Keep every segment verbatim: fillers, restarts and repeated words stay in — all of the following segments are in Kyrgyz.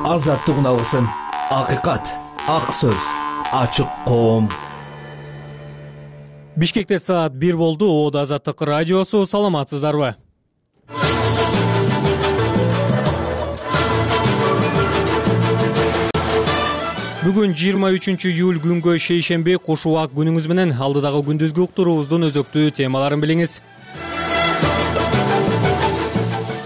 азаттык уналысын, акыйкат, ак сөз, ачык коом. Бишкекте саат бир болду. Оодо Азаттык радиосу. Саламатсыздарбы? Бүгүн жыйырма үчүнчү июль күнгө шейшемби. Куш убак күнүңүз менен алдыдагы күндүзгү уктуруубуздун өзөктүү темаларын билиңиз.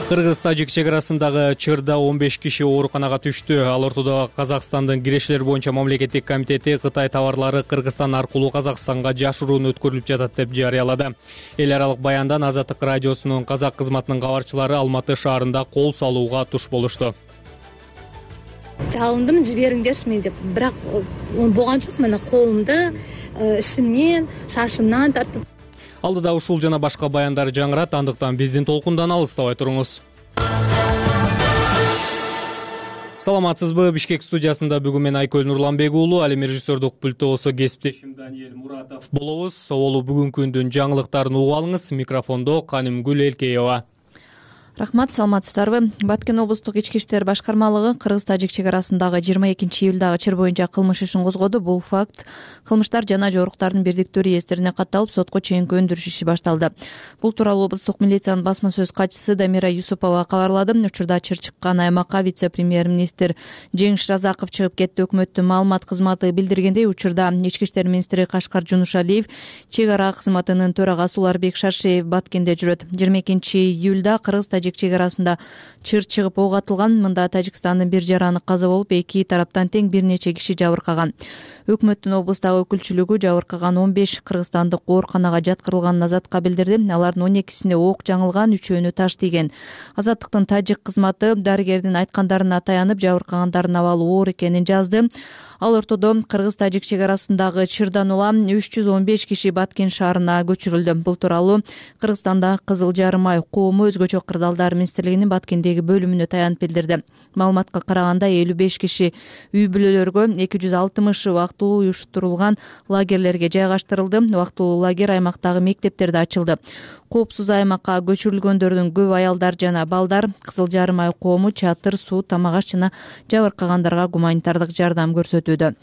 Кыргыз-Тажик чек арасындагы чырда он беш киши ооруканага түштү. Ал ортодо Казакстандын кирешилер боюнча мамлекеттик комитети Кытай товарлары Кыргызстан аркылуу Казакстанга жашыруун өткөрүлүп жатат деп жарыялады. Эл аралык баяндан Азаттык радиосунун казак кызматынын кабарчылары Алматы шаарында кол салууга туш болушту. Жалындым, жибериңдерчи мен деп, бирок болгон жок. Мына колумду ишимден, шашымдан тартып. Алдыда ушул жана башка баяндар жаңырат, андыктан биздин толкундан алыстабай туруңуз. Саламатсызбы? Бишкек студиясында бүгүн мен Айкөл Нурланбек уулу, ал эми режиссердук пульттобусу кесиптешим Даниэль Муратов болобуз. Соболу бүгүнкү күндүн жаңылыктарын угуп алыңыз. Микрофондо Канымгүл Элкеева. Рахмат, саламатсыздарбы? Баткен облустук ички иштер башкармалыгы Кыргыз-Тажик чек арасындагы жыйырма экинчи июлдагы чыр боюнча кылмыш ишин козгоду. Бул факт кылмыштар жана жоруктардын бирдиктүү реестрине катталып, сотко чейинки өндүрүш иши башталды. Бул тууралуу облустук милициянын басма сөз катчысы Дамира Юсупова кабарлады. Учурда чыр чыккан аймакка вице-премьер-министр Жеңиш Разаков чыгып кетти. Өкмөттүн маалымат кызматы билдиргендей, учурда ички иштер министри Кашкар Жунушалиев, чек ара кызматынын төрагасы Уларбек Шаршеев Баткенде жүрөт. жыйырма экинчи июлда Кыргыз-Тажик чек арасында чыр чыгып ок атылган. Мында Тажикстандын бир жараны каза болуп, эки тараптан тең бир нече киши жабыркаган. Өкмөттүн облустагы өкүлчүлүгү жабыркаган он беш кыргызстандык ооруканага жаткырылганын Азатка билдирди. Алардын он экисине ок жаңылган, үчөөнү таш тийген. Азаттыктын тажик кызматы дарыгердин айткандарына таянып, жабыркагандардын абалы оор экенин жазды. Ал ортодо Кыргыз-Тажик чек арасындагы чырдан улам үч жүз он беш киши Баткен шаарына көчүрүлдү. Бул тууралуу Кыргызстанда Кызыл Жарым ай коому өзгөчө кырдаалдар министрлигинин Баткендеги бөлүмүнө таянып билдирди. Маалыматка караганда элүү беш киши үй бүлөлөргө, эки жүз алтымышы убактылуу уюштурулган лагерлерге жайгаштырылды. Убактылуу лагерь аймактагы мектептерде ачылды. Коопсуз аймакка көчүрүлгөндөрдүн көбү аялдар жана балдар. Кызыл Жарым ай коому чатыр, суу, тамак аш жана жабыркагандарга гуманитардык жардам көрсөтүүдө.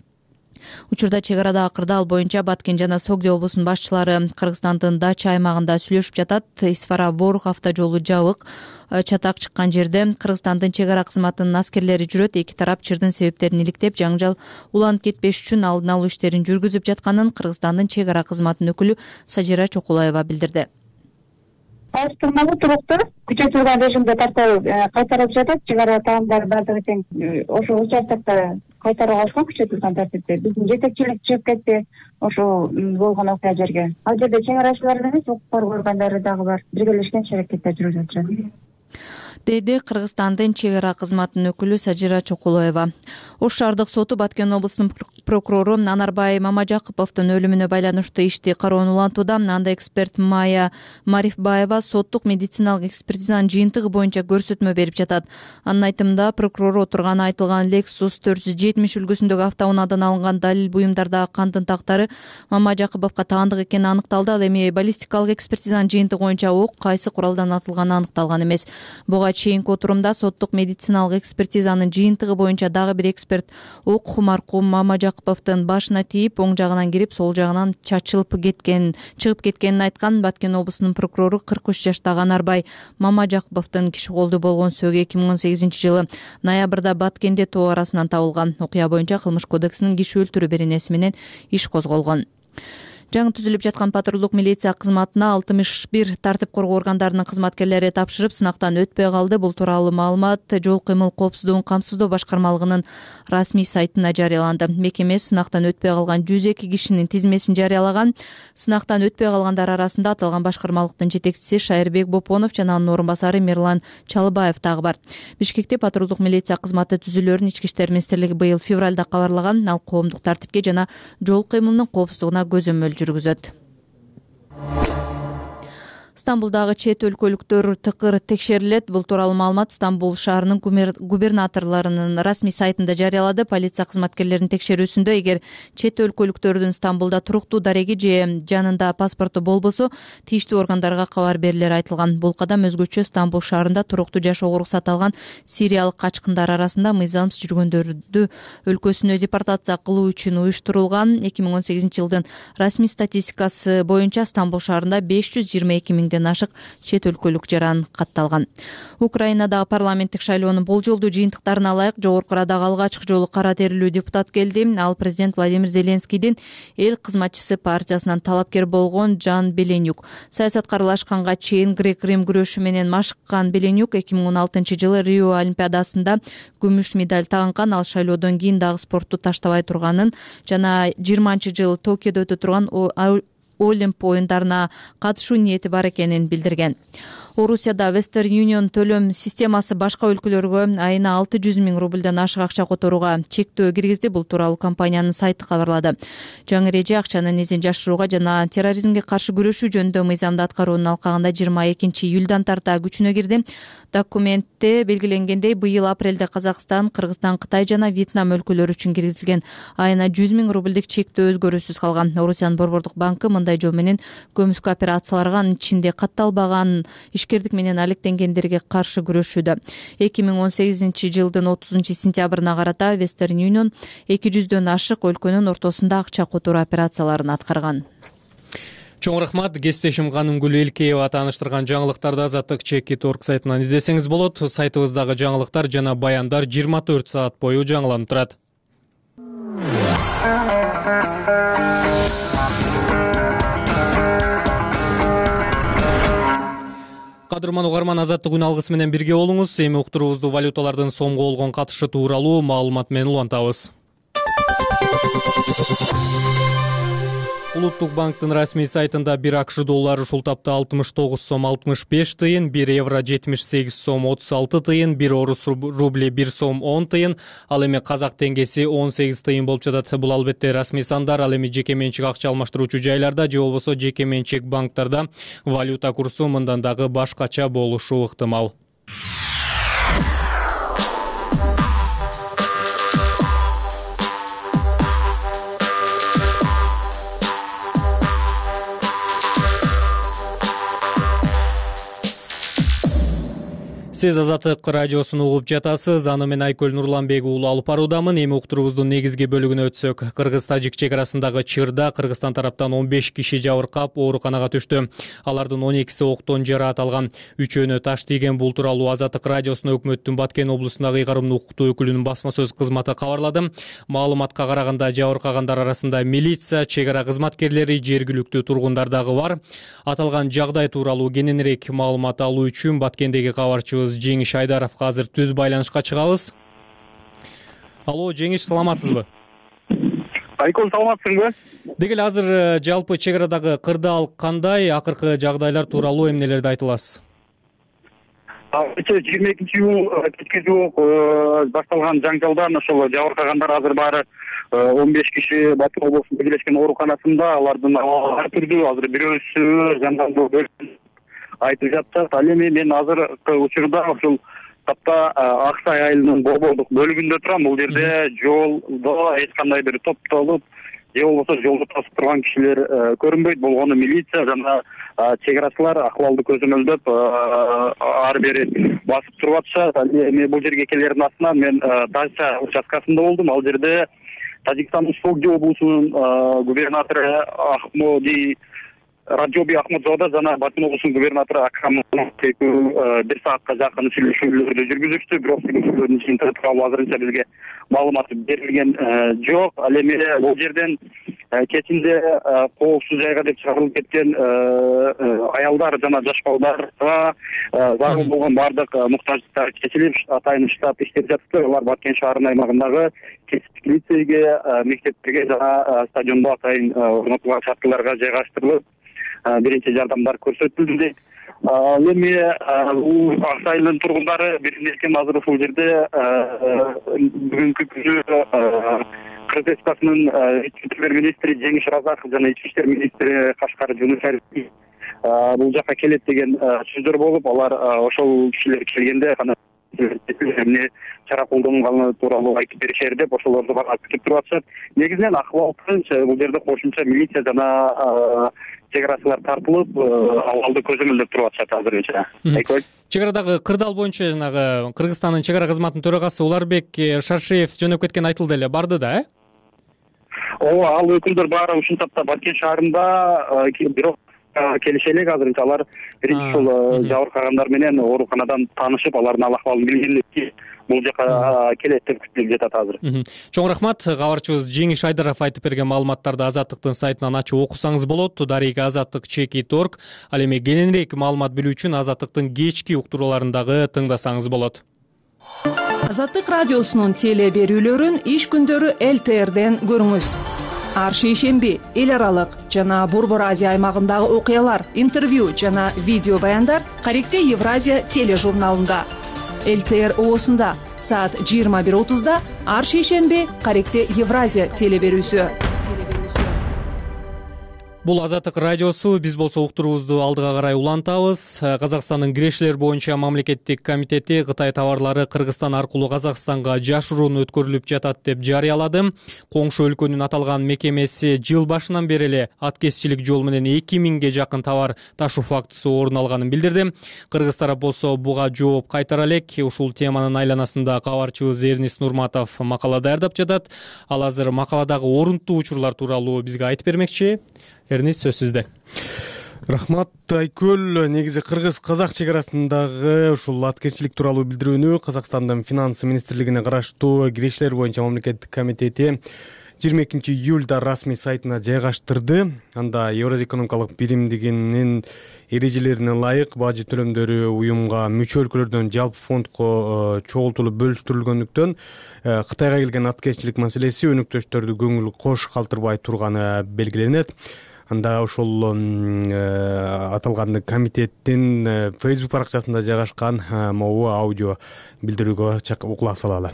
Учурда чек арадагы кырдаал боюнча Баткен жана Согди облусунун башчылары Кыргызстандын Дача аймагында сүйлөшүп жатат. Исфара-Борух автожолу жабык. Чатак чыккан жерде Кыргызстандын чек ара кызматынын аскерлери жүрөт. Эки тарап чырдын себептерин иликтеп, жаңжал уланып кетпеш үчүн алдын алуу иштерин жүргүзүп жатканын Кыргызстандын чек ара кызматынын өкүлү Сажира Чокулаева билдирди. Салыштырмалуу туруктуу күчөтүлгөн режимде тартуу кайтарылып жатат. Чек ара таамдары баардыгы тең ошол участокто кайтарууга алышкан күчөтүлгөн тартипте. Биздин жетекчилик чыгып кетти ошол болгон окуя жерге. Ал жерде чек арачылар эмес, укук коргоо органдары дагы бар. Биргелешкен иш-аракеттер жүрүп жатышат, деди Кыргызстандын чек ара кызматынын өкүлү Сажира Чокулаева. Ош шаардык соту Баткен облусунун прокурору Анарбай Мамажакыповдун өлүмүнө байланыштуу ишти кароону улантууда. Анда эксперт Майя Марифбаева соттук медициналык экспертизанын жыйынтыгы боюнча көрсөтмө берип жатат. Анын айтымында, прокурор отурган айтылган Lexus төрт жүз жетимиш үлгүсүндөгү автоунаадан алынган далил буюмдардагы кандын тактары Мамажакыповго таандык экени аныкталды. Ал эми баллистикалык экспертизанын жыйынтыгы боюнча ок кайсы куралдан атылганы аныкталган эмес. Буга чейинки отурумда соттук медициналык экспертизанын жыйынтыгы боюнча дагы бир эксперт ок маркум Мамажакыповдун башына тийип, оң жагынан кирип, сол жагынан чачылып кеткен, чыгып кеткенин айткан. Баткен облусунун прокурору кырк үч жаштагы Анарбай Мамажакыповдун киши колдуу болгон сөөгү эки миң он сегизинчи жылы ноябрда Баткенде тоо арасынан табылган. Окуя боюнча Кылмыш кодексинин киши өлтүрүү беренеси менен иш козголгон. Жаңы түзүлүп жаткан патрулдук милиция кызматына алтымыш бир тартип коргоо органдарынын кызматкерлери тапшырып, сынактан өтпөй калды. Бул тууралуу маалымат жол кыймыл коопсуздугун камсыздоо башкармалыгынын расмий сайтына жарыяланды. Мекеме сынактан өтпөй калган жүз эки кишинин тизмесин жарыялаган. Сынактан өтпөй калгандар арасында аталган башкармалыктын жетекчиси Шайырбек Бопонов жана анын орун басары Мирлан Чалыбаев дагы бар. Бишкекте патрулдук милиция кызматы түзүлөөрүн Ички иштер министрлиги быйыл февралда кабарлаган. Ал коомдук тартипке жана жол кыймылынын коопсуздугуна көзөмөл жүргүзөт. Стамбулдагы чет өлкөлүктөр тыкыр текшерилет. Бул тууралуу маалымат Стамбул шаарынын губернаторлорунун расмий сайтында жарыялады. Полиция кызматкерлеринин текшерүүсүндө эгер чет өлкөлүктөрдүн Стамбулда туруктуу дареги же жанында паспорту болбосо, тийиштүү органдарга кабар берилери айтылган. Бул кадам өзгөчө Стамбул шаарында туруктуу жашоого уруксат алган сириялык качкындар арасында мыйзамсыз жүргөндөрдү өлкөсүнө депортация кылуу үчүн уюштурулган. эки миң он сегизинчи жылдын расмий статистикасы боюнча Стамбул шаарында беш жүз жыйырма эки миңден ашык чет өлкөлүк жаран катталган. Украинадагы парламенттик шайлоонун болжолдуу жыйынтыктарына ылайык Жогорку Радагы алгачкы жолу кара терилүү депутат келди. Ал президент Владимир Зеленскийдин эл кызматчысы партиясынан талапкер болгон Жан Беленюк. Саясатка аралашканга чейин грек-рим күрөшү менен машыккан Беленюк эки миң он алтынчы жылы Рио олимпиадасында күмүш медаль тагынган. Ал шайлоодон кийин дагы спортту таштабай турганын жана жыйырманчы жылы Токиодо өтө турган Олимп оюндарына катышуу ниети бар экенин билдирген. Орусияда Western Union төлөм системасы башка өлкөлөргө айына алты жүз миң рубльдан ашык акча которууга чектөө киргизди. Бул тууралуу компаниянын сайты кабарлады. Жаңы эреже акчанын изин жашырууга жана терроризмге каршы күрөшүү жөнүндө мыйзамды аткаруунун алкагында жыйырма экинчи июлдан тарта күчүнө кирди. Документте белгиленгендей, быйыл апрелде Казакстан, Кыргызстан, Кытай жана Вьетнам өлкөлөрү үчүн киргизилген айына жүз миң рубльдик чектөө өзгөрүүсүз калган. Орусиянын Борбордук банкы мындай жол менен көмүскө операцияларга, анын ичинде катталбаган ишкердик менен алектенгендерге каршы күрөшүүдө. эки миң он сегизинчи жылдын отузунчу сентябрына карата Western Union эки жүздөн ашык өлкөнүн ортосунда акча которуу операцияларын аткарган. Чоң рахмат. Кесиптешим Канымгүл Элкеева тааныштырган жаңылыктарды Азаттык чекит точка орг сайтынан издесеңиз болот. Сайтыбыздагы жаңылыктар жана баяндар жыйырма төрт саат бою жаңыланып турат. Кадырман угарман, Азаттык үн алгысы менен бирге болуңуз. Эми уктуруубузду валюталардын сомго болгон катышы тууралуу маалымат менен улантабыз. Улуттук банктын расмий сайтында бир АКШ доллары ушул тапта алтымыш тогуз сом алтымыш беш тыйын, бир евро жетимиш сегиз сом отуз алты тыйын, бир орус рубли бир сом он тыйын, ал эми казак теңгеси он сегиз тыйын болуп жатат. Бул албетте расмий сандар. Ал эми жеке менчик акча алмаштыруучу жайларда же болбосо жеке менчик банктарда валюта курсу мындан дагы башкача болушу ыктымал. Сиз Азаттык радиосун угуп жатасыз. Аны мен Айкөл Нурланбек уулу алып баруудамын. Эми уктуруубуздун негизги бөлүгүнө өтсөк. Кыргыз-тажик чек арасындагы чырда Кыргызстан тараптан он беш киши жабыркап, ооруканага түштү. Алардын он экиси октон жараат алган. Үчөөнө таш тийген. Бул тууралуу Азаттык радиосуна Өкмөттүн Баткен облусундагы ыйгарымдуу укуктуу өкүлүнүн басма сөз кызматы кабарлады. Маалыматка караганда жабыркагандар арасында милиция, чек ара кызматкерлери, жергиликтүү тургундар дагы бар. Аталган жагдай тууралуу кененирээк маалымат алуу үчүн Баткендеги кабарчыбыз Жеңиш Айдаровго азыр түз байланышка чыгабыз. Алло, Жеңиш, саламатсызбы? Айкөл, саламатсыңбы? Деги эле азыр жалпы чек арадагы кырдаал кандай, акыркы жагдайлар тууралуу эмнелерди айта аласыз? жыйырма экинчи июль кечке жок башталган жаңжалдан ошол жабыркагандар азыр баары он беш киши Баткен облусунун Бирлешкен ооруканасында. Алардын ар түрдүү, азыр бирөөсү жандандуу айтып жатышат. Ал эми мен азыркы учурда ушул тапта Аксай айылынын борбордук бөлүгүндө турам. Бул жерде жолдо эч кандай бир топтолуп же болбосо жолду тосуп турган кишилер көрүнбөйт. Болгону милиция жана чек арачылар акыбалды көзөмөлдөп ар бери басып туруп атышат. Ал эми бул жерге келердин астынан мен Тажча участкасында болдум. Ал жерде Тажикстандын Согди облусунун губернатору Ахмоди Раджоби Ахмадзода жана Баткен облусунун губернатору Акрам бир саатка жакын сүйлөшүүлөрдү жүргүзүштү. Бирок сүйлөшүүлөрдүн ичинде тууралуу азырынча бизге маалымат берилген жок. Ал эми бул жерден кечинде коопсуз жайга деп чыгарылып кеткен аялдар жана жаш балдарга зарыл болгон баардык муктаждыктар чечилип, атайын штаб иштеп жатты. Алар Баткен шаарынын аймагындагы кесиптик лицейге, мектептерге жана стадиондо атайын орнотулган шарттууларга жайгаштырылып, биринчи жардамдар көрсөтүлдү дейт. Эми бул Аксайдын тургундары биримдешкен азыр ушул жерде бүгүнкү күнү Кыргыз Республикасынын ички иштер министри Жеңиш Разаков жана ички иштер министри Кашкар Жунушаев бул жака келет деген сөздөр болуп, алар ошол кишилер келгенде кана эмне чара колдонганы тууралуу айтып беришер деп ошолорду бара күтүп туруп атышат. Негизинен акыбал тынч, бул жерде кошумча милиция жана чек арачылар тартылып, абалды көзөмөлдөп туруп атышат азырынча. Айкой. Чек арадагы кырдаал боюнча жанагы Кыргызстандын чек ара кызматынын төрагасы Уларбек Шаршеев жөнөп кеткен айтылды эле, барды да, э? Ооба, ал өкүлдөр баары ушул тапта Баткен шаарында, бирок келише элек азырынча алар биринчи ушул жабыркагандар менен ооруканадан таанышып, алардын ал акыбалын билгенден кийин бул жака келет деп күтүлүп жатат азыр. Чоң рахмат. Кабарчыбыз Жеңиш Айдаров айтып берген маалыматтарды Азаттыктын сайтынан ачып окусаңыз болот. Дарыга Азаттык чеки торг. Ал эми кененирээк маалымат билүү үчүн Азаттыктын кечки уктурууларын дагы тыңдасаңыз болот. Азаттык радиосунун теле берүүлөрүн иш күндөрү эл тэ эрден көрүңүз. Ар шейшемби эл аралык жана Борбор Азия аймагындагы окуялар, интервью жана видео баяндар Каректе Евразия тележурналында. эл тэ эр оосунда саат жыйырма бир отузда ар шейшемби Каректе Евразия теле берүүсү. Бул Азаттык радиосу. Биз болсо уктуруубузду алдыга карай улантабыз. Казакстандын кирешилер боюнча мамлекеттик комитети Кытай товарлары Кыргызстан аркылуу Казакстанга жашыруун өткөрүлүп жатат деп жарыялады. Коңшу өлкөнүн аталган мекемеси жыл башынан бери эле аткезчилик жол менен эки миңге жакын товар ташуу фактысы орун алганын билдирди. Кыргыз тарап болсо буга жооп кайтара элек. Ушул теманын айланасында кабарчыбыз Эрнис Нурматов макала даярдап жатат. Ал азыр макаладагы орунтуу учурлар тууралуу бизге айтып бермекчи. Эрнис, сөз сизде. Рахмат Айкөл. Негизи кыргыз-казак чек арасындагы ушул аткезчилик тууралуу билдирүүнү Казакстандын финансы министрлигине караштуу кирешилер боюнча мамлекеттик комитети жыйырма экинчи июлда расмий сайтына жайгаштырды. Анда Евразия экономикалык биримдигинин эрежелерине ылайык бажы төлөмдөрү уюмга мүчө өлкөлөрдөн жалпы фондко чогултулуп бөлүштүрүлгөндүктөн Кытайга келген аткезчилик маселеси өнөктөштөрдү көңүл кош калтырбай турганы белгиленет. Анда ошол аталган комитеттин Facebook баракчасында жайгашкан могу аудио билдирүүгө кулак салалы.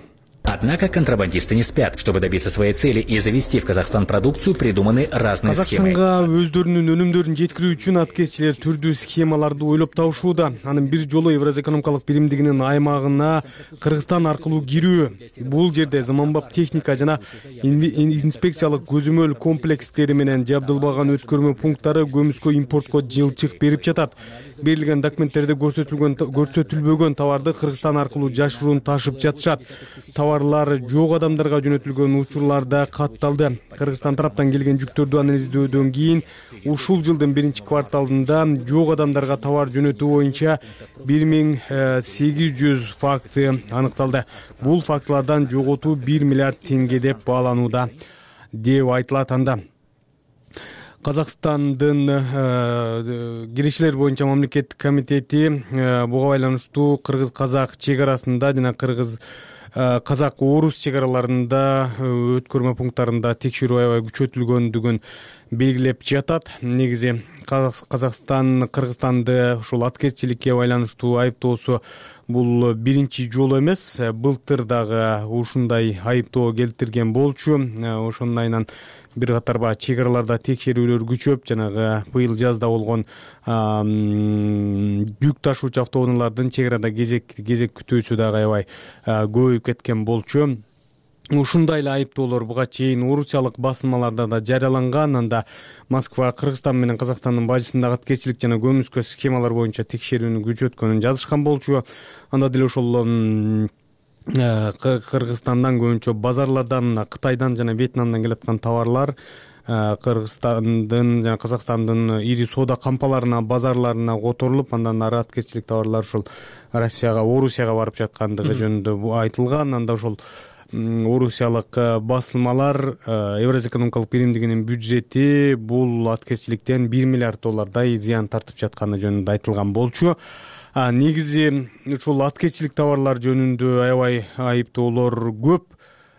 Однако контрабандисты не спят. Чтобы добиться своей цели и завести в Казахстан продукцию, придуманы разные схемы. Казакстанга өздөрүнүн өнүмдөрүн жеткирүү үчүн аткезчилер түрдүү схемаларды ойлоп табышууда. Анын бир жолу Евразия экономикалык биримдигинин аймагына Кыргызстан аркылуу кирүү. Бул жерде заманбап техника жана инспекциялык көзөмөл комплекстери менен жабдылбаган өткөрмө пункттары көмүскө импортко жылчык берип жатат. Берилген документтерде көрсөтүлгөн көрсөтүлбөгөн товарды Кыргызстан аркылуу жашыруун ташып жатышат. Товарлар жок адамдарга жөнөтүлгөн учурларда катталды. Кыргызстан тараптан келген жүктөрдү анализдөөдөн кийин ушул жылдын биринчи кварталында жок адамдарга товар жөнөтүү боюнча бир миң сегиз жүз факты аныкталды. Бул фактылардан жоготуу бир миллиард теңге деп бааланууда деп айтылат. Анда Казакстандын кирешилер боюнча мамлекеттик комитети буга байланыштуу кыргыз-казак чек арасында жана кыргыз казак-орус чек араларында өткөрмө пункттарында текшерүү аябай күчөтүлгөндүгүн белгилеп жатат. Негизи Казакстан Кыргызстанды ушул аткезчиликке байланыштуу айыптоосу бул биринчи жолу эмес. Былтыр дагы ушундай айыптоо келтирген болчу. Ошонун айынан бир катар баягы чек араларда текшерүүлөр күчөп, жанагы быйыл жазда болгон жүк ташуучу автоунаалардын чек арада кезек кезек күтүүсү дагы аябай көбөйүп кеткен болчу. Ушундай эле айыптоолор буга чейин орусиялык басылмаларда да жарыяланган. Анда Москва Кыргызстан менен Казакстандын бажысындагы аткезчилик жана көмүскө схемалар боюнча текшерүүнү күчөткөнүн жазышкан болчу. Анда деле ошол Кыргызстандан көбүнчө базарлардан, Кытайдан жана Вьетнамдан келаткан товарлар Кыргызстандын жана Казакстандын ири соода кампаларына, базарларына которулуп, андан ары аткезчилик товарлар ушул Россияга, Орусияга барып жаткандыгы жөнүндө айтылган. Анда ошол орусиялык басылмалар Евразия экономикалык биримдигинин бюджети бул аткезчиликтен бир миллиард доллардай зыян тартып жатканы жөнүндө айтылган болчу. Негизи ушул аткезчилик товарлар жөнүндө аябай айыптоолор көп.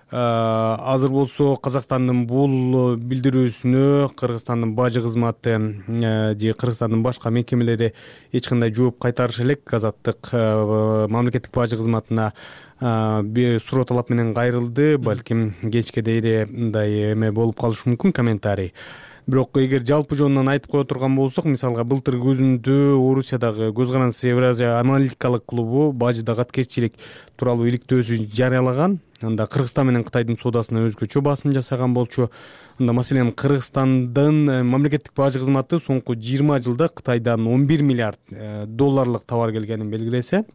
Азыр болсо Казакстандын бул билдирүүсүнө Кыргызстандын бажы кызматы же Кыргызстандын башка мекемелери эч кандай жооп кайтарышы элек. Азаттык мамлекеттик бажы кызматына бир суроо талап менен кайрылды. Балким кечке дейре мындай эме болуп калышы мүмкүн, комментарий. Бирок эгер жалпы жонунан айтып кое турган болсок, мисалга былтыр күзүндө Орусиядагы Көз карандысы Евразия аналитикалык клубу бажыдагы аткезчилик тууралуу иликтөөсү жарыялаган. Анда Кыргызстан менен Кытайдын соодасына өзгөчө басым жасаган болчу. Анда маселен Кыргызстандын мамлекеттик бажы кызматы соңку жыйырма жылда Кытайдан он бир миллиард долларлык товар келгенин белгилесе,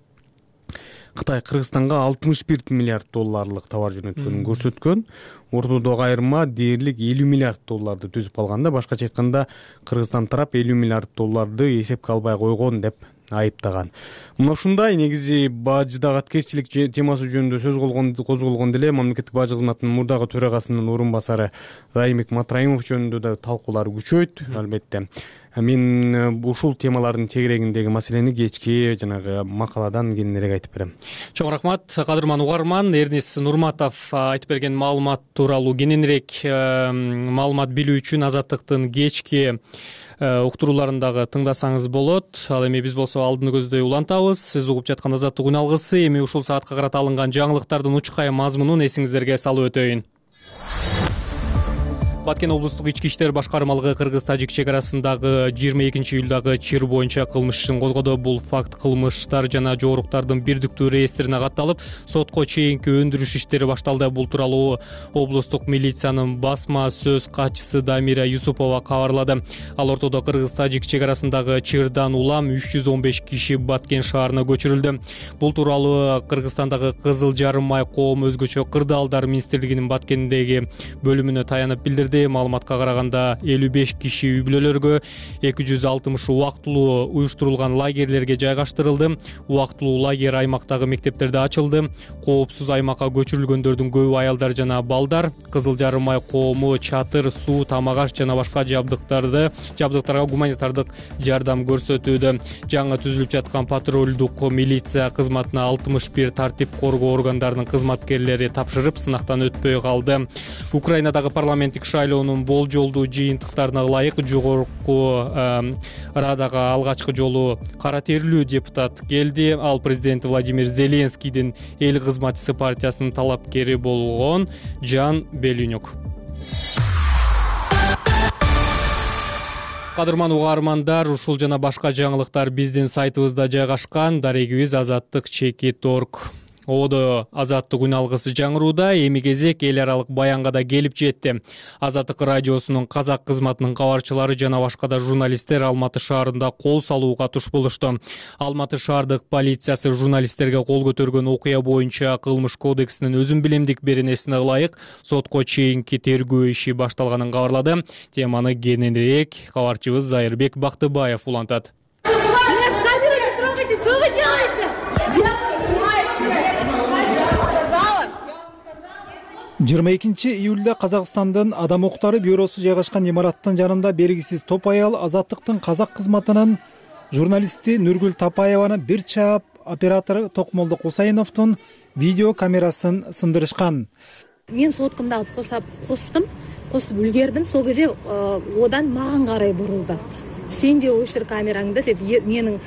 Кытай Кыргызстанга алтымыш бир миллиард долларлык товар жөнөткөнүн көрсөткөн. Ортодогу айырма дээрлик элүү миллиард долларды түзүп калганда, башкача айтканда Кыргызстан тарап элүү миллиард долларды эсепке албай койгон деп айыптаган. Мына ушундай негизи бажыдагы аткезчилик темасы жөнүндө сөз козголгон деле мамлекеттик бажы кызматынын мурдагы төрагасынын орун басары Раймик Матраимов жөнүндө да талкуулар күчөйт, албетте. Мен ушул темалардын тегерегиндеги маселени кечки жанагы макаладан кененирээк айтып берем. Чоң рахмат, кадырман угарман. Эрнис Нурматов айтып берген маалымат тууралуу кененирээк маалымат билүү үчүн Азаттыктын кечки уктурууларындагы тыңдасаңыз болот. Ал эми биз болсо алдыны көздөй улантабыз. Сиз угуп жаткан Азаттык үн алгысы. Эми ушул саатка карата алынган жаңылыктардын учкай мазмунун эсиңиздерге салып өтөйүн. Баткен облустук ички иштер башкармалыгы Кыргыз-Тажик чек арасындагы жыйырма экинчи июлдагы чыр боюнча кылмыш ишин козгоду. Бул факт кылмыштар жана жоруктардын бирдиктүү реестрине катталып, сотко чейинки өндүрүш иштери башталды. Бул тууралуу облустук милициянын басма сөз катчысы Дамира Юсупова кабарлады. Ал ортодо Кыргыз-Тажик чек арасындагы чырдан улам үч жүз он беш киши Баткен шаарына көчүрүлдү. Бул тууралуу Кыргызстандагы Кызыл Жарым Май коому өзгөчө кырдаалдар министрлигинин Баткендеги бөлүмүнө таянып билдирди. Маалыматка караганда элүү беш киши үй бүлөлөргө, эки жүз алтымыш убактылуу уюштурулган лагерлерге жайгаштырылды. Убактылуу лагерь аймактагы мектептерде ачылды. Коопсуз аймакка көчүрүлгөндөрдүн көбү аялдар жана балдар. Кызыл Жарым Май коому чатыр, суу, тамак аш жана башка жабдыктарды жабдыктарга гуманитардык жардам көрсөтүүдө. Жаңы түзүлүп жаткан патрулдук милиция кызматына алтымыш бир тартип коргоо органдарынын кызматкерлери тапшырып, сынактан өтпөй калды. Украинадагы парламенттик шайлоонун болжолдуу жыйынтыктарына ылайык жогорку Радага алгачкы жолу кара терлүү депутат келди. Ал президент Владимир Зеленскийдин эл кызматчысы партиясынын талапкери болгон Жан Белюнюк. Кадырман угармандар, ушул жана башка жаңылыктар биздин сайтыбызда жайгашкан. Дарегибиз азаттык чекит точка орг. Одо Азаттык үн алгысы жаңырууда. Эми кезек эл аралык баянга да келип жетти. Азаттык радиосунун казак кызматынын кабарчылары жана башка да журналисттер Алматы шаарында кол салууга туш болушту. Алматы шаардык полициясы журналисттерге кол көтөргөн окуя боюнча кылмыш кодексинин өзүн билемдик беренесине ылайык сотко чейинки тергөө иши башталганын кабарлады. Теманы кененирээк кабарчыбыз Зайырбек Бактыбаев улантат. жыйырма экинчи июлда Казакстандын Адам укуктары бюросу жайгашкан имараттын жанында белгисиз топ аял Азаттыктын казак кызматынын журналисти Нургүл Тапаеваны бир чаап оператору Токмолдо Кусайновдун видео камерасын сындырышкан. Мен соткамды алып косап костум, косуп үлгердим. Сол кезде одан маған карай бурулду. Сен де өшір камераңды деп менің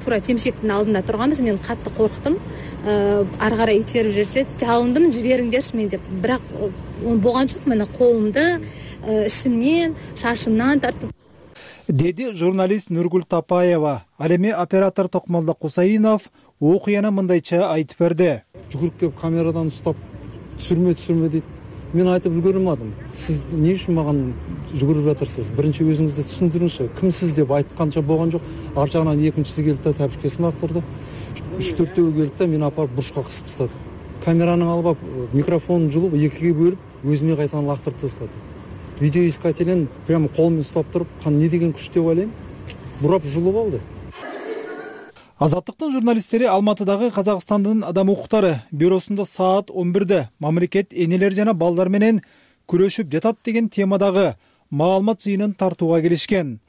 тура темшектің алдында тұрғанбыз. Мен қатты қорқтым. Ары қарай итеріп жүрсе, жалындым, жіберіңдерші мен деп. Бірақ болған жоқ, мені қолымды ішімнен, шашымнан тартып. Деди журналист Нургүл Тапаева. Ал эми оператор Токмолдо Кусайнов окуяны мындайча айтып берди. Жүгүрүп келип камерадан устап түсүрмө түсүрмө дейт. Мен айтып үлгөрө алмадым. Сиз эмне үчүн маган жүгүрүп жатырсыз? Биринчи өзүңүздү түшүндүрүңүзчү. Кимсиз деп айтканча болгон жок. Ар жагынан экинчиси келди да тапшыркасын актырды. үч төртөө келди да мени апарып бурчка кысып тастады. Камераны алып, микрофонун жулуп, экиге бөлүп, өзүмө кайтадан лактырып тастады. Видеоискателин прямо колумен устап туруп, кан не деген күч деп ойлойм, бурап жулуп алды. Азаттыктын журналисттери Алматыдагы Казакстандын Адам укуктары бюросунда саат он бирде мамлекет энелер жана балдар менен күрөшүп жатат деген темадагы маалымат жыйынын тартууга келишкен.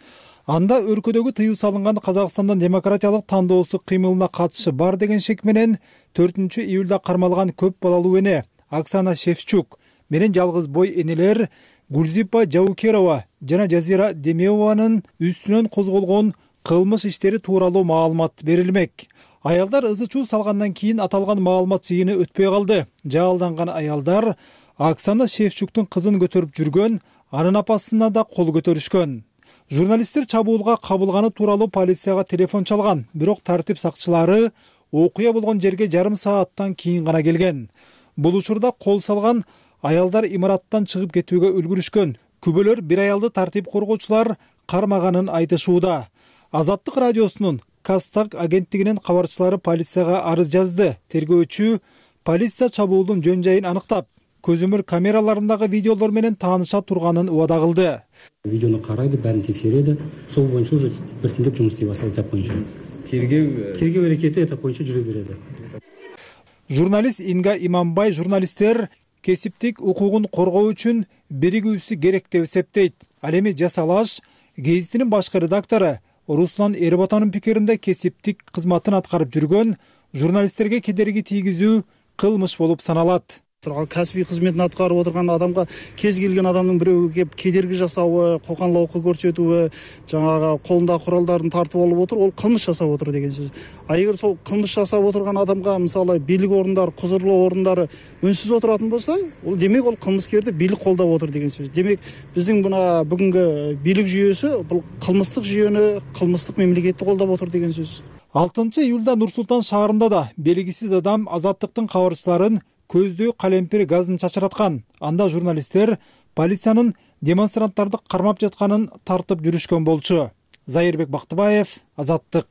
Анда өлкөдөгү тыюу салынган Казакстандын демократиялык тандоосу кыймылына катышы бар деген шек менен төртүнчү июлда кармалган көп балалуу эне Оксана Шевчук менен жалгыз бой энелер Гулзипа Жаукерова жана Жазира Демеованын үстүнөн козголгон кылмыш иштери тууралуу маалымат берилмек. Аялдар ызы чуу салгандан кийин аталган маалымат жыйыны өтпөй калды. Жаалданган аялдар Оксана Шевчуктун кызын көтөрүп жүргөн анын апасына да кол көтөрүшкөн. Журналисттер чабуулга кабылганы тууралуу полицияга телефон чалган, бирок тартип сакчылары окуя болгон жерге жарым сааттан кийин гана келген. Бул учурда кол салган аялдар имараттан чыгып кетүүгө үлгүрүшкөн. Күбөлөр бир аялды тартип коргоочулар кармаганын айтышууда. Азаттык радиосунун Кастак агенттигинин кабарчылары полицияга арыз жазды. Тергөөчү полиция чабуулдун жөн жайын аныктап, көзөмөл камераларындагы видеолор менен тааныша турганын убада кылды. Видеону карайды, баарын текшереді. Сол боюнча уже биртиндеп жумуш истей баштайт этап боюнча. Тергөө тергөө аракети этап боюнча жүрө береді. Журналист Инга Иманбай журналисттер кесиптик укугун коргоо үчүн биригүүсү керек деп эсептейт. Ал эми Жасалаш гезитинин башкы редактору Руслан Эрботанын пикиринде кесиптик кызматын аткарып жүргөн журналисттерге кедерги тийгизүү кылмыш болуп саналат. Кәсби кызметін аткарып отырган адамга кез келген адамдын бирөө кеп кедерги жасабы, коканлоокко көрсөтүүбү, жаңага колундагы куралдарын тартып алып отур, ол кылмыш жасап отур деген сөз. А эгер сол кылмыш жасап отурган адамга мисалы бийлик орундары, кузурлуу орундары үнсүз отуратын болсо, ол демек ол кылмыскерди бийлик колдоп отур деген сөз. Демек биздин мына бүгүнкү бийлик жүйөсү бул кылмыстык жүйөнү, кылмыстык мамлекетти колдоп отур деген сөз. алтынчы июлда Нур Султан шаарында да белгисиз адам Азаттыктын кабарчыларын көздөө калемпир газын чачыраткан. Анда журналисттер полициянын демонстранттарды кармап жатканын тартып жүрүшкөн болчу. Зайырбек Бактыбаев, Азаттык.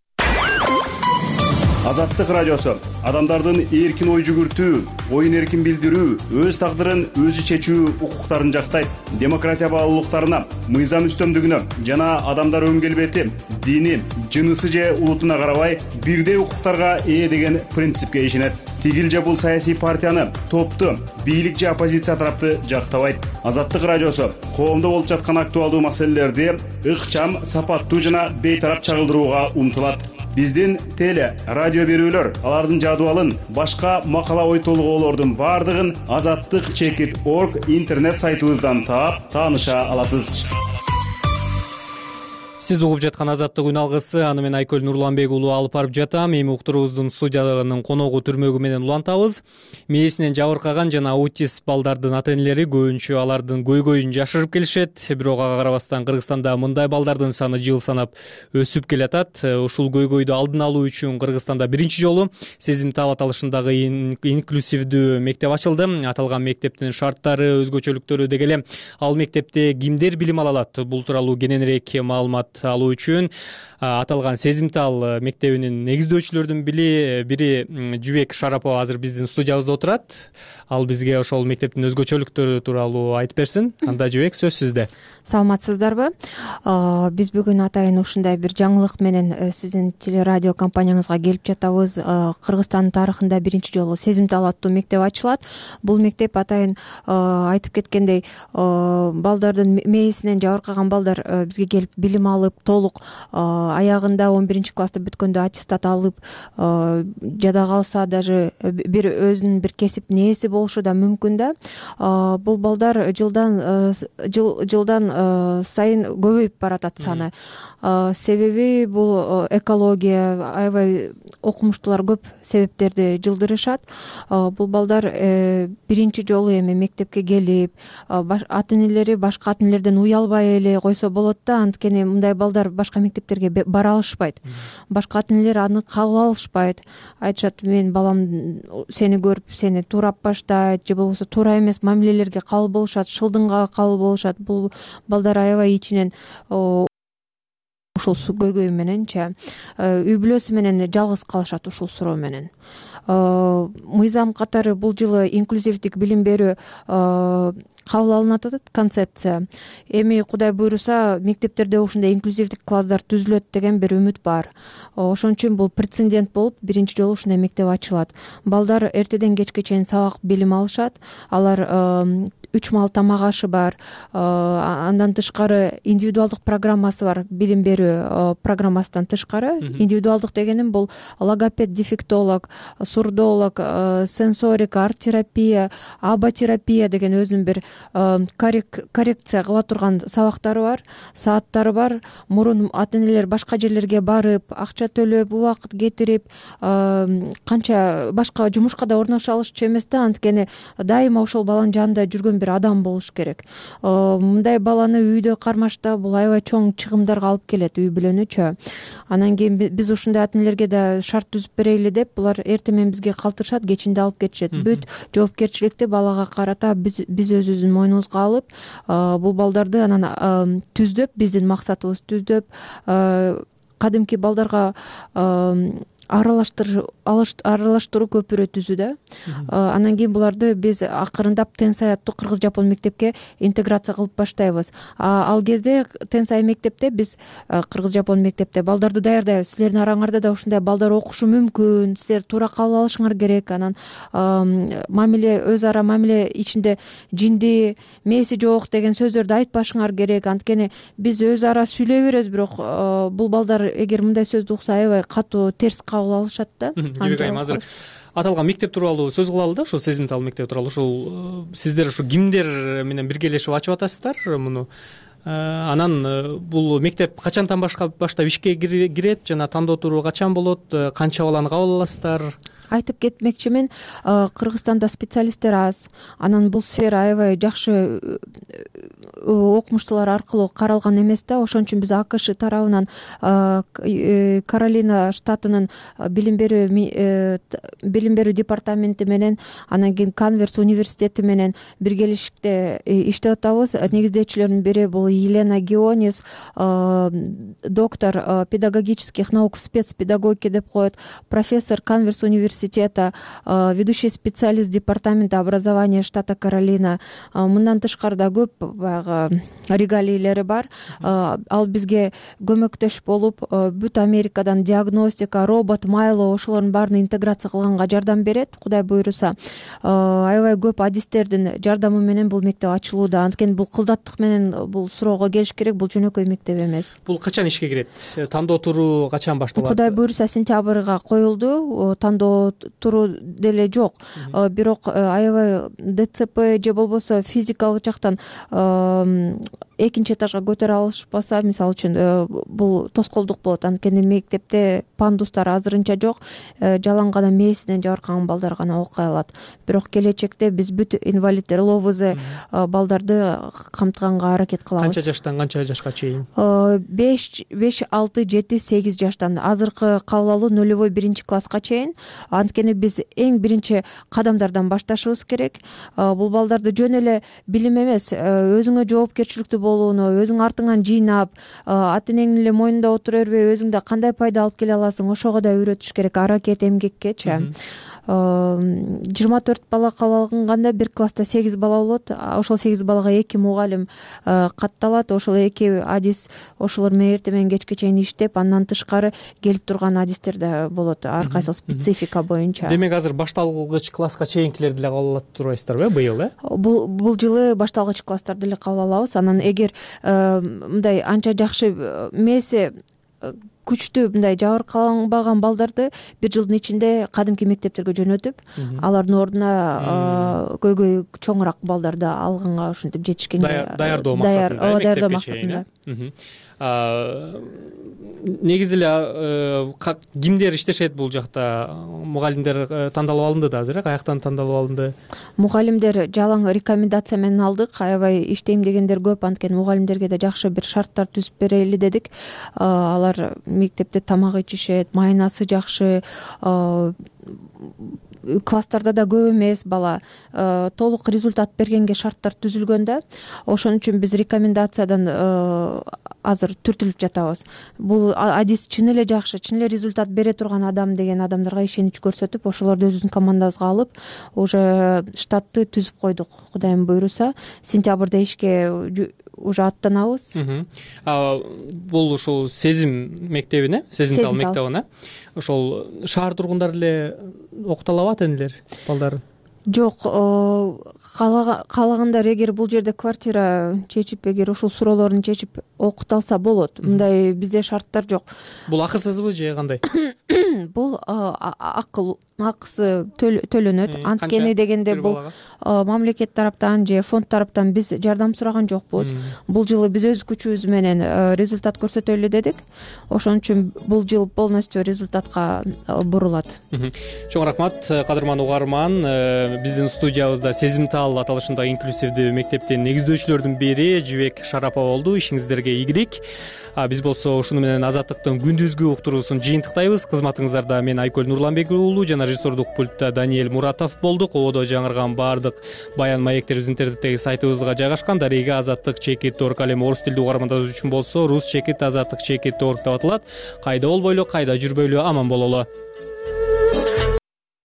Азаттык радиосу адамдардын эркин ой жүгүртүү, оюн эркин билдирүү, өз тагдырын өзү чечүү укуктарын жактайт. Демократия баалуулуктарына, мыйзам үстөмдүгүнө жана адамдар өн келбети, дини, жынысы же улутуна карабай бирдей укуктарга ээ деген принципке ишенет. Тигил же бул саясий партияны, топту, бийлик же оппозиция тарапты жактабайт. Азаттык радиосу коомдо болуп жаткан актуалдуу маселелерди ыкчам, сапаттуу жана бейтарап чагылдырууга умтулат. Биздин теле, радио берүүлөр, алардын жадыбалын, башка макала ой толгоолордун бардыгын азаттык чекит точка орг интернет сайтыбыздан таап, тааныша аласыз. Сиз угуп жаткан Азаттык үн алгысы, аны мен Айкөл Нурланбек уулу алып барып жатам. Эми уктуруубуздун студиянын коногу түрмөгү менен улантабыз. Мээсинен жабыркаган жана аутист балдардын ата-энелери көбүнчө алардын көйгөйүн жашырып келишет. Бирок ага карабастан Кыргызстанда мындай балдардын саны жыл санап өсүп келатат. Ушул көйгөйдү алдын алуу үчүн Кыргызстанда биринчи жолу Сезимтал аталышындагы инклюзивдүү мектеп ачылды. Аталган мектептин шарттары, өзгөчөлүктөрү деги эле ал мектепте кимдер билим ала алат? Бул тууралуу кененирээк маалымат алуу үчүн аталган Сезимтал мектебинин негиздөөчүлөрдүн бири Жүбек Шарапова азыр биздин студиябызда отурат. Ал бизге ошол мектептин өзгөчөлүктөрү тууралуу айтып берсин. Анда Жүбек, сөз сизде. Саламатсыздарбы? Биз бүгүн атайын ушундай бир жаңылык менен сиздин телерадио компанияңызга келип жатабыз. Кыргызстандын тарыхында биринчи жолу Сезимтал аттуу мектеп ачылат. Бул мектеп атайын айтып кеткендей балдардын мээсинен жабыркаган балдар бизге келип билим алып, толук аягында он биринчи класста бүткөндө аттестат алып, жада калса даже бир өзүнүн бир кесип нээси болушу да мүмкүн да. Бул балдар жылдан жылдан сайын көбөйүп баратат саны. Себеби бул экология, аябай окумуштуулар көп себептерди жылдырышат. Бул балдар биринчи жолу эми мектепке келип, ата-энелери башка ата-энелерден уялбай эле койсо болот да, анткени мындай балдар башка мектептерге бара алышпайт. Башка ата-энелер аны кабыл алышпайт. Айтышат, мен балам сени көрүп сени туурап баштайт же болбосо туура эмес мамилелерге кабыл болушат, шылдыңга кабыл болушат. Бул балдар аябай ичинен ушул көйгөй мененчи үй бүлөсү менен жалгыз калышат ушул суроо менен. Мыйзам катары бул жылы инклюзивдик билим берүү кабыл алынат атат, концепция. Эми Кудай буйруса мектептерде ушундай инклюзивдик класстар түзүлөт деген бир үмүт бар. Ошон үчүн бул прецедент болуп биринчи жолу ушундай мектеп ачылат. Балдар эртеден кечке чейин сабак билим алышат. Алар үч маал тамак ашы бар. Андан тышкары индивидуалдык программасы бар, билим берүү программасынан тышкары. Индивидуалдык дегеним бул логопед, дефектолог, сурдолог, сенсорика, арт-терапия, аботерапия деген өзүнүн бир коррекция кыла турган сабактары бар, сааттары бар. Мурун ата-энелер башка жерлерге барып, акча төлөп, убакыт кетирип, канча башка жумушка да орношо алышчу эмес да, анткени дайыма ошол баланын жанында жүргөн бир адам болуш керек. Мындай баланы үйдө кармаштап бул аябай чоң чыгымдарга алып келет, үй бүлөнүчү. Анан кийин биз ушундай ата энелерге да шарт түзүп берели деп булар эртең менен бизге калтырышат, кечинде алып кетишет. Бүт жоопкерчиликти балага карата биз өзүбүздүн мойнубузга алып, бул балдарды анан түздөп, биздин максатыбыз түздөп, кадимки балдарга аралаштыруу көпүрө түзүү да. Анан кийин буларды биз акырындап Тенсай аттуу кыргыз-жапон мектепке интеграция кылып баштайбыз. Ал кезде Тенсай мектепте биз кыргыз-жапон мектепте балдарды даярдайбыз. Силердин араңарда да ушундай балдар окушу мүмкүн, силер туура кабыл алышыңар керек. Анан мамиле, өз ара мамиле ичинде жинди, мээси жок деген сөздөрдү айтпашыңар керек. Анткени биз өз ара сүйлөй беребиз, бирок бул балдар эгер мындай сөздү укса аябай катуу терс кабыл алышат да. Жибек айым, азыр аталган мектеп тууралуу сөз кылалы да, ошол сезимтал мектеп тууралуу. Ушул сиздер ушу кимдер менен биргелешип ачып атасыздар муну? Анан бул мектеп качантан баштап ишке кирет жана тандоо туруу качан болот, канча баланы кабыл аласыздар? Айтып кетмекчимин, Кыргызстанда специалисттер аз. Анан бул сфера аябай жакшы окумуштуулар аркылуу каралган эмес да. Ошон үчүн биз АКШ тарабынан Каролина штатынын билим берүү билим берүү департаменти менен, анан кийин Канверс университети менен биргелешикте иштеп атабыз. Негиздөөчүлөрдүн бири бул Елена Геонис, доктор педагогических наук, спецпедагогики деп коет, профессор Канверс университета, ведущий специалист департамента образования штата Каролина. Мындан тышкары да көп баягы регалийлери бар. Ал бизге көмөктөш болуп, бүт Америкадан диагностика, робот, майло ошолордун баарын интеграция кылганга жардам берет, Кудай буйруса. Аябай көп адистердин жардамы менен бул мектеп ачылууда. Анткени бул кылдаттык менен бул суроого келиш керек, бул жөнөкөй мектеп эмес. Бул качан ишке кирет? Тандоо туруу качан башталат? Кудай буйруса сентябрга коюлду. Тандоо туруу деле жок. Бирок аябай ДЦП же болбосо физикалык жактан экинчи этажга көтөрө алышпаса, мисалы үчүн бул тоскоолдук болот. Анткени мектепте пандустар азырынча жок, жалаң гана мээсинен жабыркаган балдар гана окуй алат. Бирок келечекте биз бүт инвалидтер, ЛОВЗ балдарды камтыганга аракет кылабыз. Канча жаштан канча жашка чейин? беш, алты, жети, сегиз жаштан. Азыркы кабыл алуу нулевой биринчи класска чейин. Анткени биз эң биринчи кадамдардан башташыбыз керек. Бул балдарды жөн эле билим эмес, өзүңө жоопкерчиликтүү болууну, өзүң артыңан жыйнап, ата энеңдин эле мойнунда отура бербей, өзүң да кандай пайда алып келе аласың, ошого да үйрөтүш керек, аракет, эмгеккечи. жыйырма төрт бала кабыл алынганда бир класста сегиз бала болот. Ошол сегиз балага эки мугалим катталат. Ошол эки адис ошолор менен эртең менен кечке чейин иштеп, андан тышкары келип турган адистер да болот, ар кайсы специфика боюнча. Демек азыр башталгыч класска чейинкилерди эле кабыл алат турбайсыздарбы быйыл, э? Бул бул жылы башталгыч класстарды эле кабыл алабыз. Анан эгер мындай анча жакшы мээси күчтүү мындай жабыркаланбаган балдарды бир жылдын ичинде кадимки мектептерге жөнөтүп, алардын ордуна көйгөй чоңураак балдарды алганга ушинтип жетишкенге даярдоо максатында, даярдоо максатында. Негизи эле кимдер иштешет бул жакта? Мугалимдер тандалып алынды да азыр, э? Каяктан тандалып алынды? Мугалимдер жалаң рекомендация менен алдык. Аябай иштейм дегендер көп, анткени мугалимдерге да жакшы бир шарттар түзүп берели дедик. Алар мектепте тамак ичишет, майнасы жакшы, класстарда да көп эмес бала, толук результат бергенге шарттар түзүлгөн да. Ошон үчүн биз рекомендациядан азыр түртүлүп жатабыз. Бул адис чын эле жакшы, чын эле результат бере турган адам деген адамдарга ишенич көрсөтүп, ошолорду өзүбүздүн командабызга алып, уже штатты түзүп койдук. Кудайым буйруса, сентябрда ишке уже аттанабыз. Бул ушул Сезим мектебине, Сезимтал мектебине, ошол шаар тургундары эле окута алабы ата энелер балдарын? Жок, каалагандар эгер бул жерде квартира чечип, эгер ушул суроолорун чечип окута алса болот. Мындай бизде шарттар жок. Бул акысызбы же кандай? Бул акыл акысы төлөнөт. Анткени дегенде бул мамлекет тараптан же фонд тараптан биз жардам сураган жокпуз. Бул жылы биз өз күчүбүз менен результат көрсөтөлү дедик. Ошон үчүн бул жыл полностью результатка бурулат. Чоң рахмат, кадырман угарман. Биздин студиябызда Сезимтал аталышындагы инклюзивдүү мектептин негиздөөчүлөрдүн бири Жибек Шарапова болду. Ишиңиздерге ийгилик. Биз болсо ушуну менен Азаттыктын күндүзгү уктуруусун жыйынтыктайбыз. Кызматыңыздарда мен Айкөл Нурланбек уулу жана режиссердук пультта Даниэль Муратов болдук. Ободо жаңырган баардык баян маектерибиз интернеттеги сайтыбызга жайгашкан. Дарега азаттык чекит точка орг, ал эми орус тилдүү угармандар үчүн болсо рус чекит азаттык чекит точка орг деп аталат. Кайда болбойлу, кайда жүрбөйлү, аман бололу.